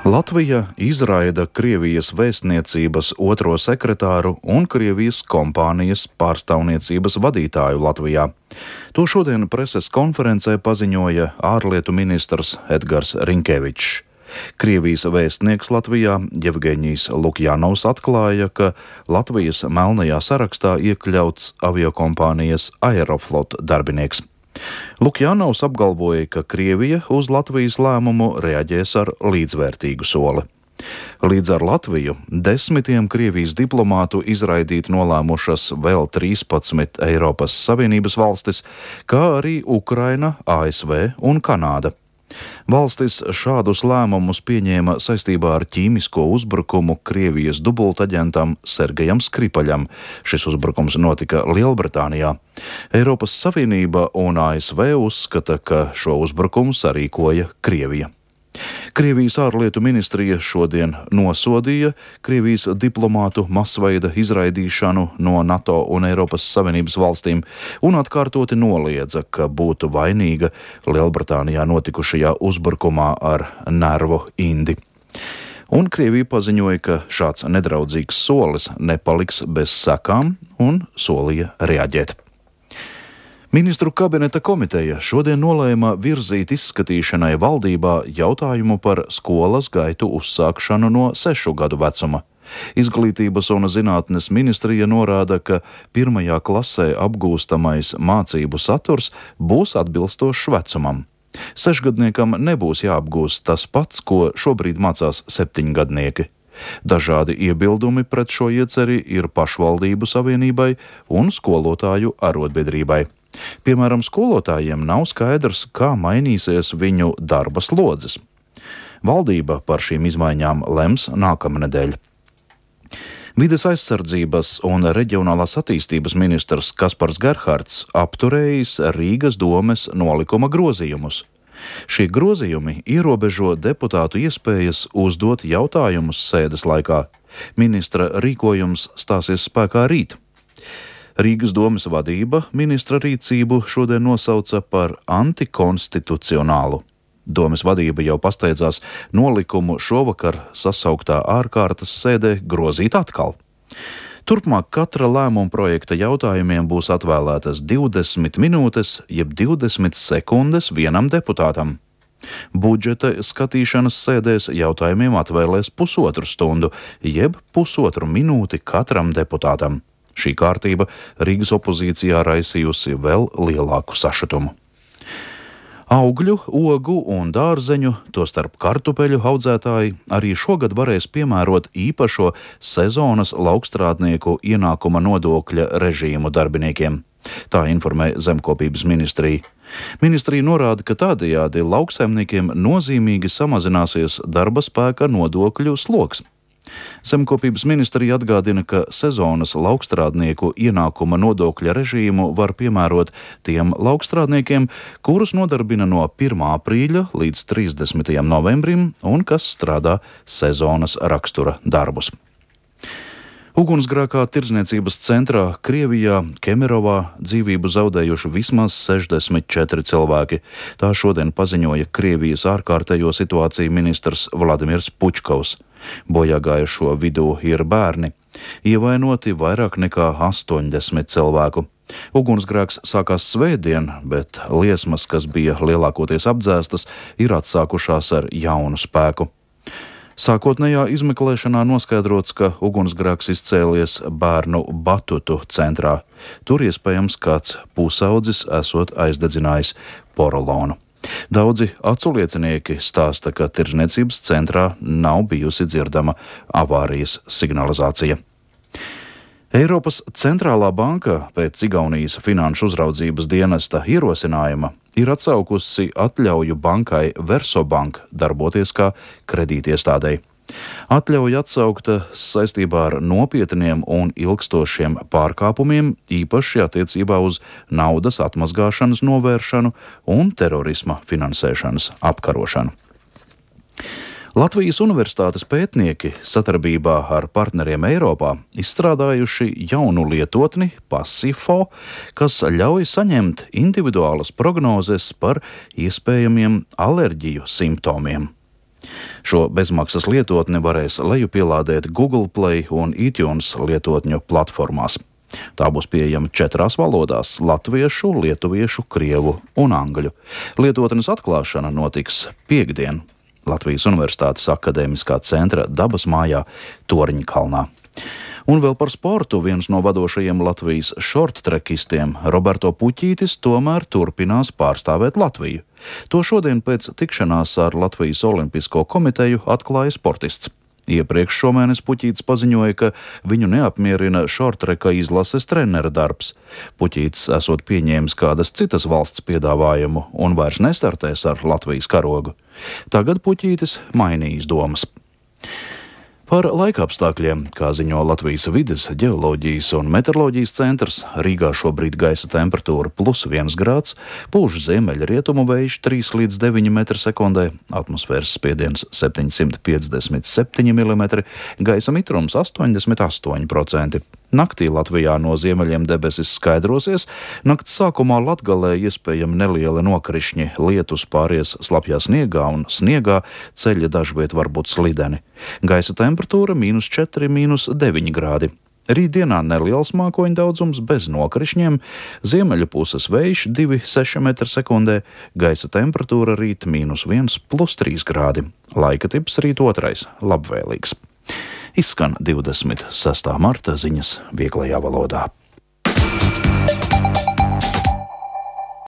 Latvija izraida Krievijas vēstniecības otro sekretāru un Krievijas kompānijas pārstāvniecības vadītāju Latvijā. To šodien preses konferencē paziņoja ārlietu ministrs Edgars Rinkevičs. Krievijas vēstnieks Latvijā Jevgeņijs Lukjanovs atklāja, ka Latvijas melnajā sarakstā iekļauts aviokompānijas Aeroflot darbinieks. Lukjanovs apgalvoja, ka Krievija uz Latvijas lēmumu reaģēs ar līdzvērtīgu soli. Līdz ar Latviju 10 Krievijas diplomātu izraidīt nolēmušas vēl 13 Eiropas Savienības valstis, kā arī Ukraina, ASV un Kanāda. Valstis šādus lēmumus pieņēma saistībā ar ķīmisko uzbrukumu Krievijas dubultaģentam Sergejam Skripaļam. Šis uzbrukums notika Lielbritānijā. Eiropas Savienība un ASV uzskata, ka šo uzbrukumu sarīkoja Krievija. Krievijas ārlietu ministrija šodien nosodīja Krievijas diplomātu masveida izraidīšanu no NATO un Eiropas Savienības valstīm un atkārtoti noliedza, ka būtu vainīga Lielbritānijā notikušajā uzbrukumā ar nervu indi. Un Krievija paziņoja, ka šāds nedraudzīgs solis nepaliks bez sekām un solīja reaģēt. Ministru kabineta komiteja šodien nolēma virzīt izskatīšanai valdībā jautājumu par skolas gaitu uzsākšanu no 6 gadu vecuma. Izglītības un zinātnes ministrija norāda, ka 1. klasē apgūstamais mācību saturs būs atbilstošs vecumam. 6-gadniekam nebūs jāapgūst tas pats, ko šobrīd mācās 7-gadnieki. Dažādi iebildumi pret šo ieceri ir pašvaldību savienībai un skolotāju arotbiedrībai. Piemēram, skolotājiem nav skaidrs, kā mainīsies viņu darba slodzes. Valdība par šīm izmaiņām lems nākamnedēļ. Vides aizsardzības un reģionālās attīstības ministrs Kaspars Gerhards apturējis Rīgas domes nolikuma grozījumus. Šie grozījumi ierobežo deputātu iespējas uzdot jautājumus sēdes laikā. Ministra rīkojums stāsies spēkā rīt. Rīgas domes vadība ministra rīcību šodien nosauca par antikonstitucionālu. Domes vadība jau pasteidzās nolikumu šovakar sasauktā ārkārtas sēdē grozīt atkal. Turpmāk katra lēmuma projekta jautājumiem būs atvēlētas 20 minūtes, jeb 20 sekundes vienam deputātam. Budžeta skatīšanas sēdēs jautājumiem atvēlēs 1,5 stundu, jeb 1,5 minūti katram deputātam. Šī kārtība Rīgas opozīcijā raisījusi vēl lielāku sašutumu. Augļu, ogu un dārzeņu, tostarp kartupeļu audzētāji arī šogad varēs piemērot īpašo sezonas laukstrādnieku ienākuma nodokļa režīmu darbiniekiem. Tā informē Zemkopības ministrija. Ministrija norāda, ka tādējādi lauksaimniekiem nozīmīgi samazināsies darba spēka nodokļu sloks. Zemkopības ministrija atgādina, ka sezonas laukstrādnieku ienākuma nodokļa režīmu var piemērot tiem laukstrādniekiem, kurus nodarbina no 1. aprīļa līdz 30. novembrim un kas strādā sezonas rakstura darbus. Ugunsgrēkā tirdzniecības centrā Krievijā Kemerovā dzīvību zaudējuši vismaz 64 cilvēki. Tā šodien paziņoja Krievijas ārkārtējo situāciju ministrs Vladimirs Pučkovs. Bojāgājušo vidū ir bērni. Ievainoti vairāk nekā 80 cilvēku. Ugunsgrēks sākās svētdien, bet liesmas, kas bija lielākoties apdzēstas, ir atsākušās ar jaunu spēku. Sākotnējā izmeklēšanā noskaidrots, ka ugunsgrēks izcēlies bērnu batutu centrā. Tur iespējams kāds pusaudzis esot aizdedzinājis porolonu. Daudzi aculiecinieki stāsta, ka tirdzniecības centrā nav bijusi dzirdama avārijas signalizācija. Eiropas centrālā banka pēc Igaunijas finanšu uzraudzības dienesta ierosinājuma ir atsaukusi atļauju bankai Versobank darboties kā kredītiestādei. Atļauja atsaukta saistībā ar nopietniem un ilgstošiem pārkāpumiem, īpaši attiecībā uz naudas atmazgāšanas novēršanu un terorisma finansēšanas apkarošanu. Latvijas Universitātes pētnieki sadarbībā ar partneriem Eiropā izstrādājuši jaunu lietotni Passifo, kas ļauj saņemt individuālas prognozes par iespējamiem alerģiju simptomiem. Šo bezmaksas lietotni varēs lejupielādēt Google Play un iTunes lietotņu platformās. Tā būs pieejama 4 valodās - latviešu, lietuviešu, krievu un angļu. Lietotnes atklāšana notiks piektdien Latvijas Universitātes akadēmiskā centra dabas mājā Torņkalnā. Un vēl par sportu. Viens no vadošajiem Latvijas šorttrekistiem, Roberto Puķītis, tomēr turpinās pārstāvēt Latviju. To šodien pēc tikšanās ar Latvijas Olimpisko komiteju atklāja sportists. Iepriekš šomēnes Puķītis paziņoja, ka viņu neapmierina šorttreka izlases trenera darbs. Puķītis esot pieņēmis kādas citas valsts piedāvājumu un vairs nestartēs ar Latvijas karogu. Tagad Puķītis mainījis domas. Par laikapstākļiem, kā ziņo Latvijas vides, ģeoloģijas un meteoroloģijas centrs, Rīgā šobrīd gaisa temperatūra +1 grāds, pūš ziemeļrietumu vējš 3 līdz 9 m/sekundē, atmosfēras spiediens 757 mm, gaisa mitrums 88%. Naktī Latvijā no ziemeļiem debesis skaidrosies, nakts sākumā Latgalē iespējami nelieli nokrišņi, lietus pāries slapjā sniegā un sniegā, ceļi dažviet var būt slideni. Gaisa temperatūra -4, -9 grādi. Rītdienā neliels mākoņu daudzums bez nokrišņiem, ziemeļu puses vējš 2,6 m/sekundē, gaisa temperatūra rīt -1, +3 grādi. Laika tips rīt 2. labvēlīgs. Izskan 26. marta ziņas vieglajā valodā.